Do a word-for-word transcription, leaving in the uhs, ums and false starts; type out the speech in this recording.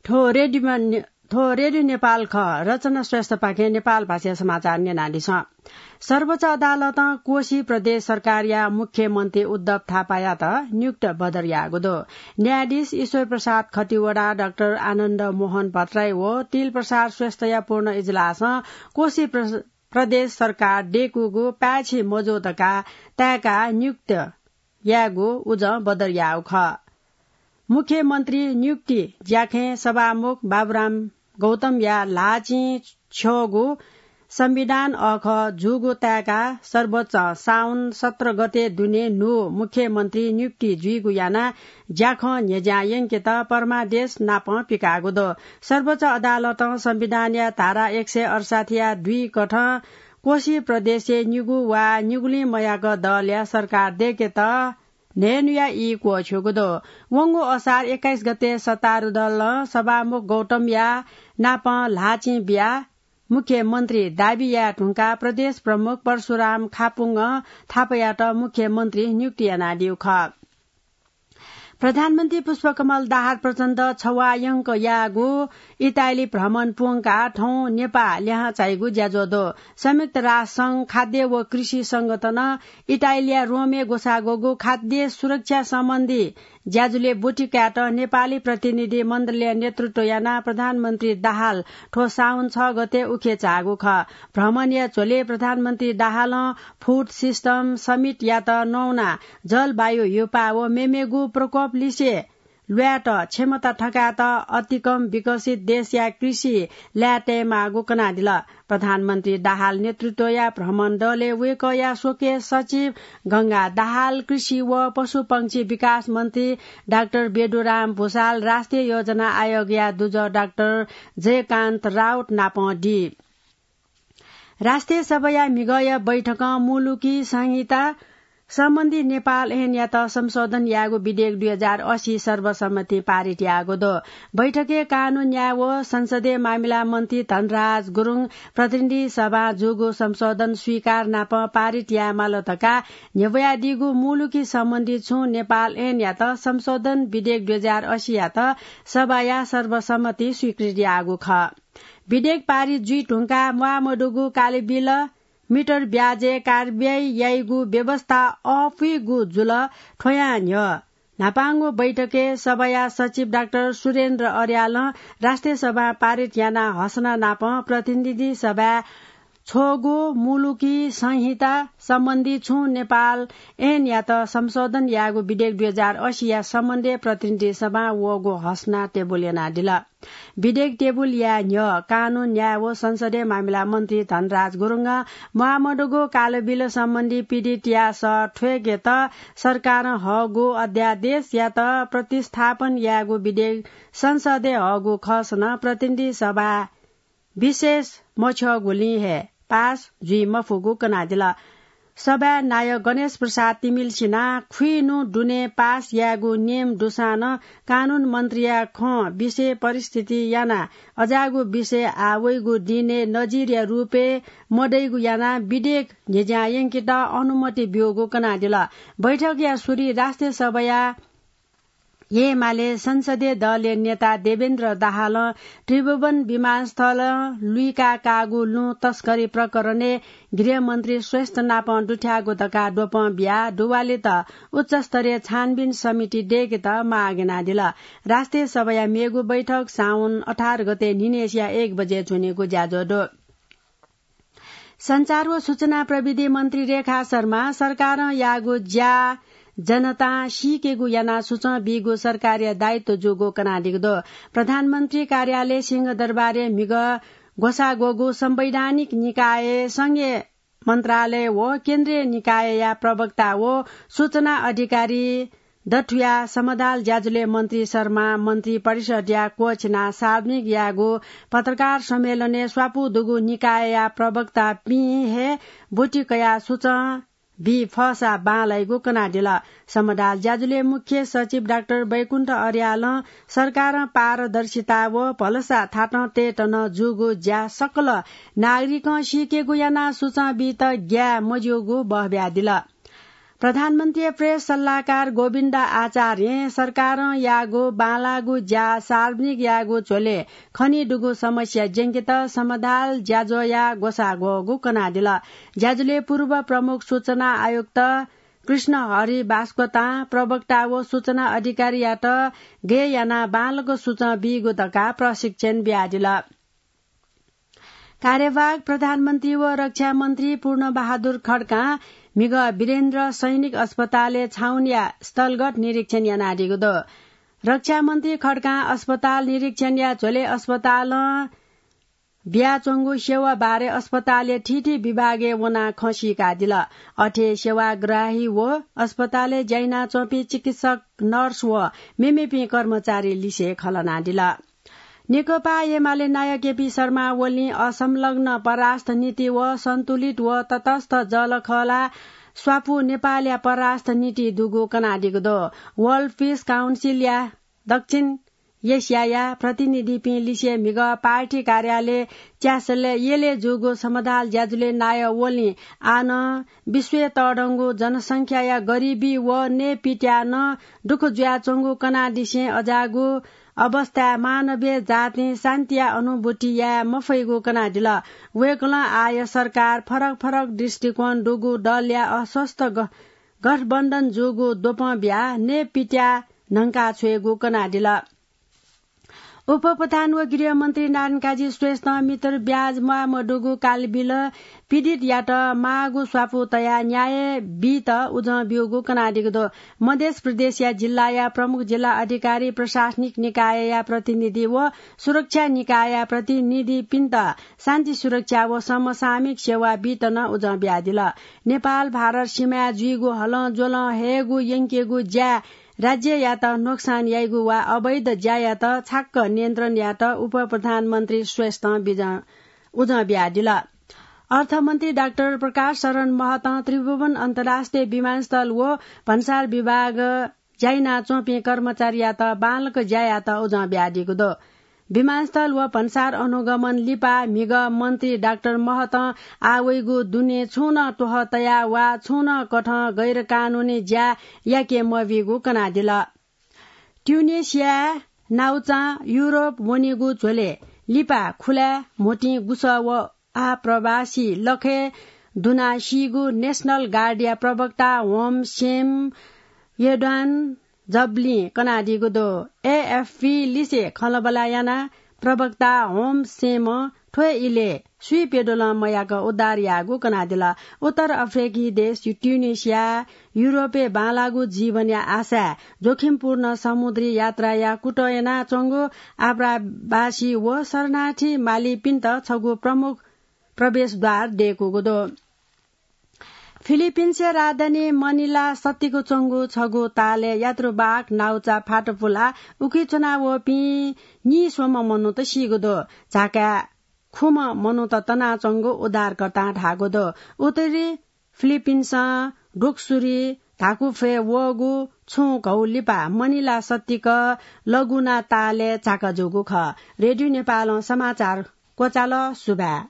थ्व रेडियोमा ने-, थ्व रेडियो नेपाल खः। रचना श्रेष्ठपाखें नेपाल भाषाया समाचार न्यनादिसँ। सर्वोच्च अदालतं कोशी प्रदेश सरकारया मुख्यमन्त्री उद्धव थापायात नियुक्त बदर याःगु दु। न्यायाधीश ईश्वर प्रसाद खतिवडा, डाक्टर आनन्द मोहन भट्टराई व तिल प्रसाद श्रेष्ठया पूर्ण इजलासं कोशी प्र-, प्रदेश सरकार दय्कूगु पाय्छि मजू धकाः ताय्काः नियुक्त यायेगु उजं बदर याःगु खः। मुख्यमन्त्री नियुक्ति ज्याखँय् सभामुख बाबुराम गौतमया ल्हाःचिं छ्यःगु संविधान अःखः जूगु ताय्काः सर्वोच्चं साउन सत्र गते दुने न्हू मुख्यमन्त्री नियुक्ति जुइगु यानाः ज्याखँ न्ह्यज्यां यंकेत परमादेश नापं पिकाःगु दु। सर्वोच्च अदालतं संविधानया धारा एक सय अडसठ्ठीया दुई कथं कोशी प्रदेशय् निगू वा निगुलिं मयाक दलया सरकार दय्केत न्हय्न्हुया ई क्वःछ्यूगु दु। वंगु असार एक्काइस गते सत्तारूढ दलं सभामुख गौतमया नापं ल्हाःचिं बियाः मुख्यमन्त्री दाबी याये धुंकाः प्रदेश प्रमुख परशुराम खापुङ्गं थापायात मुख्यमन्त्री नियुक्ति यानादीगु खः। प्रधानमन्त्री पुष्पकमल दाहाल प्रचण्ड छवाःयंक याःगु इटाली भ्रमण पूवंकाः थौं नेपाः लिहां चाइगु ज्याझ्वः दु। संयुक्त राष्ट्र संघ खाद्य व कृषि संगठनं इटालीया रोमय् ग्वसाः ग्वःगु खाद्य सुरक्षा सम्बन्धी ज्याझ्वलय् ब्वति कायेत नेपाली प्रतिनिधि मण्डलया नेतृत्व यानाः प्रधानमन्त्री दाहाल थ्व साउन छ गते उखे झाःगु खः। भ्रमणया झ्वलय् प्रधानमन्त्री दाहालं फुड सिस्टम समिटयात नवानाः जलवायु ह्यूपाः व मेमेगु प्रकोप लिसे ल्वायेत क्षमता थकायेत अतिकम विकसित देशया कृषि लाये तयेमाःगु कनादिल। प्रधानमन्त्री दाहाल नेतृत्वया भ्रमण दलय् वय्कःया स्वकीय सचिव गंगा दाहाल, कृषि व पशुपंक्षी विकास मन्त्री डाक्टर बेदुराम भुसाल, राष्ट्रिय योजना आयोगया दुजः डाक्टर जयकान्त राउत नापं दी। राष्ट्रिय सभाया म्हिगःया बैठकं मुलुकी संहिता सम्बन्धी नेपाल ऐनयात संशोधन यायेगु विधेयक दुई हजार असी सर्वसम्मतिं पारित याःगु दु। बैठकय् कानून न्याय व संसदीय मामिला मन्त्री धनराज गुरुङ प्रतिनिधि सभां जूगु संशोधन स्वीकार नाप पारित यायेमाल धकाः न्ह्यब्वयादीगु मुलुकी सम्बन्धी छुं नेपाल ऐनयात संशोधन विधेयक दुई हजार असीयात सभाया सर्वसम्मति स्वीकृति याःगु खः। विधेयक पारित जुइ धुंकाः म्वाःमदुगु कालिबिल मिटर ब्याजय् कारवाही याइगु व्यवस्था अःपुइगु जुल, थ्वयां न्ह्यः न्हापांगु बैठकय् सभाया सचिव डाक्टर सुरेन्द्र अर्यालं राष्ट्रिय सभां पारित यानाः हसना नाप प्रतिनिधि सभाय् छ्वःगु मुलुकी संहिता सम्बन्धी छुं नेपाल ऐनयात संशोधन याःगु विधेयक दुई हजार असीया सम्बन्धय् प्रतिनिधि सभां वःगु हसना टेबुल यानादिल। विधेयक टेबुलया न्ह्यः कानून, न्याय व संसदीय मामिला मन्त्री धनराज गुरुङं म्वाःमदुगु कालोबिल सम्बन्धी पीडितया सः थ्वय्केत सरकारं हःगु अध्यादेशयात प्रतिस्थापन यायेगु विधेयक संसदय् हःगु खःसां नं प्रतिनिधि सभा विशेष मछ्यःगुलिं हे पास जुइ मफुगु कनादिल। सभाय् नायः गणेश प्रसाद तिमिल्सिनां खुइन्हु दुने पास यायेगु नियम दुसां नं कानून मन्त्रीया खँ विषय परिस्थिति यानाः अज्याःगु विषय आः वइगु दिनय् नजिरया रूपय् मदइगु यानाः विधेयक न्ह्यज्यां यंकेत अनुमति ब्यूगु कनादिल। बैठकया सुरुइ राष्ट्रिय सभाया एमाले संसदीय दलया नेता देवेन्द्र दाहालं त्रिभुवन विमानस्थलं लुइका काःगु लुँ तस्करी प्रकरणय् गृहमन्त्री श्रेष्ठ नाप दुथ्याःगु धकाः द्वपं बियाः दुवालित उच्चस्तरीय छानबिन समिति दय्केत माग यानादिल। राष्ट्रिय सभाया मेगु बैठक साउन अठार गते न्हिनय्सिया एक बजे च्वनेगु ज्याझ्वः दु। सञ्चार व सूचना प्रविधि मन्त्री रेखा शर्मा सरकारं याःगु ज्या जनतां सीकेगु यानाः सुचं बीगु सरकारया दायित्व जूगु कनादीगु दु। प्रधानमन्त्री कार्यालय सिंहदरबारय् म्हिगः ग्वसाः ग्वःगु संवैधानिक निकाय, संघीय मन्त्रालय व केन्द्रीय निकायया प्रवक्ता व सूचना अधिकारी दथुया समदाल ज्याझ्वलय् मन्त्री शर्मा मन्त्री परिषदया क्वःछिनाः सार्वजनिक याःगु पत्रकार सम्मेलनय् स्वापू दुगु निकायया प्रवक्तापिं हे ब्वति कयाः सुचं बी फःसा बांलाइगु कनादिल। समदाल ज्याझ्वलय् मुख्य सचिव डाक्टर बैकुण्ठ अर्यालं सरकारं पारदर्शिता व भलसा थातं तयेत नं जूगु ज्या सकल नागरिकं सीकेगु यानाः सुचं बीत ग्याये मज्यूगु बहब्यादिल। प्रधानमन्त्रीया प्रेस सल्लाहकार गोविन्द आचार्यं सरकारं याःगु बांलाःगु ज्या सार्वजनिक यायेगु झ्वलय् खनीदुगु समस्या ज्यंकेत समाधाल ज्याझ्वःया ग्वसाः ग्वःगु कनादिल। ज्याझ्वलय् पूर्व प्रमुख सूचना आयुक्त कृष्ण हरि बास्कोटां प्रवक्ता व सूचना अधिकारीयात गय् यानाः बांलाक सूचं बीगु धकाः प्रशिक्षण बियादिल। कार्यवाहक प्रधानमन्त्री व रक्षा मन्त्री पूर्ण बहादुर खड्कां म्हिगः वीरेन्द्र सैनिक अस्पतालय् छाउनीया स्थलगत निरीक्षण यानादीगु दु। रक्षा मन्त्री खड्कां अस्पताल निरीक्षणया झ्वलय् अस्पतालं बियाच्वंगु सेवा बारे अस्पतालया थीथी विभागय् वनाः खँ सीकादिल। अथे सेवाग्राही व अस्पतालय् ज्या यानाच्वंपिं चिकित्सक, नर्स व मेमेपिं कर्मचारी लिसे खँ ल्हानादिल। नेकपा एमाले नायः केपी शर्मा ओलीं असंलग्न परराष्ट्र नीति व सन्तुलित व तटस्थ जःलाखःला स्वापू नेपालया परराष्ट्र नीति दुगु कनादीगु दु। World Peace Council या दक्षिण एसियाया प्रतिनिधिपिं लिसे म्हिगः पार्टी कार्यालय च्यासलय् यलय् जूगु समाधाल ज्याझ्वलय् नायः ओलीं आः नं विश्वय् तःधंगु जनसंख्याया गरिबी व नयेपित्याः नं दुःख जुयाच्वंगु कनादिसें अज्याःगु अवस्थाय् मानवीय जातिं शान्तिया अनुभूति याये मफइगु कनादिल। वय्कलं आःया सरकार फरक फरक दृष्टिकोण दुगु दलया अस्वस्थ ग-, गठबन्धन जूगु द्वपं बियाः नयेपित्याः न्हंका छ्वयेगु कनादिल। उपप्रधान व गृहमन्त्री नारायणकाजी श्रेष्ठं मिटर ब्याज म्वाः मदुगु कालबिल पीडितयात माःगु स्वापू तयाः न्याय बीत उजं ब्यूगु कनादीगु दु। मधेस प्रदेशया जिल्लाया प्रमुख जिल्ला अधिकारी, प्रशासनिक निकायया प्रतिनिधि व सुरक्षा निकायया प्रतिनिधिपिन्त शान्ति सुरक्षा व समसामयिक सेवा बीत नं उजं बियादिल। नेपाल भारत सीमाय् जुइगु हलंज्वलं हयेगु यंकेगु ज्याय् राज्ययात नोक्सान याइगु वा अवैध ज्यायात छाक्क नियन्त्रण यायेत उपप्रधानमन्त्री श्रेष्ठं बिजं, उजं बियादिल। अर्थमन्त्री डाक्टर प्रकाश शरण महतं त्रिभुवन अन्तर्राष्ट्रिय विमानस्थल व भन्सार विभाग ज्या यानाच्वंपिं कर्मचारीयात बांलाक ज्या यायेत उजं बियादीगु दु। विमानस्थल व भन्सार अनुगमन लिपा म्हिगः मन्त्री डाक्टर महतं आः वइगु दुने छुं नं त्वहः तयाः वा छुं नं कथं गैरकानुनी ज्या याके मबीगु कनादिल। ट्युनिसियाय् नाउचां युरोप वनीगु झ्वलय् लिपा खुलाय् म्होतिं गुसः व आः प्रवासी लखय् दुनाः सीगु नेशनल गार्डया प्रवक्ता होम सेम यद्वान जबलिं कनादीगु दु। एएफपी लिसे खँल्हाबल्हा यानाः प्रवक्ता होम सेमं थ्व इलय् सुइप्यदुलं मयाक उद्धार याःगु कनादिल। उत्तर अफ्रिकी देश ट्युनिसिया युरोपय् बांलाःगु जीवनया आशाय् जोखिमपूर्ण समुद्री यात्राया कुतः यानाच्वंगु आप्रवासी व शरणार्थी मालीपिन्त छगू प्रमुख प्रवेशद्वार दय्कूगु दु। फिलिपिन्सया राजधानी मनिला सत्तीक च्वंगु छगू तालय् यात्रुवाहक नाउचा फातपुलाः उकी च्वनावःपिं नीस्वम्ह मनूत सीगु दु। झाकाय् खुम्ह मनूत तनाच्वंगु उद्धारकर्तां धाःगु दु। उत्तरी फिलिपिन्सं ढोकसुरी धाकुफ्वय् वःगु छुं घौ लिपा मनिला सत्तीक लगुना तालय् झाका जूगु खः। रेडियो नेपालं समाचार क्वचाल। सुभाय्।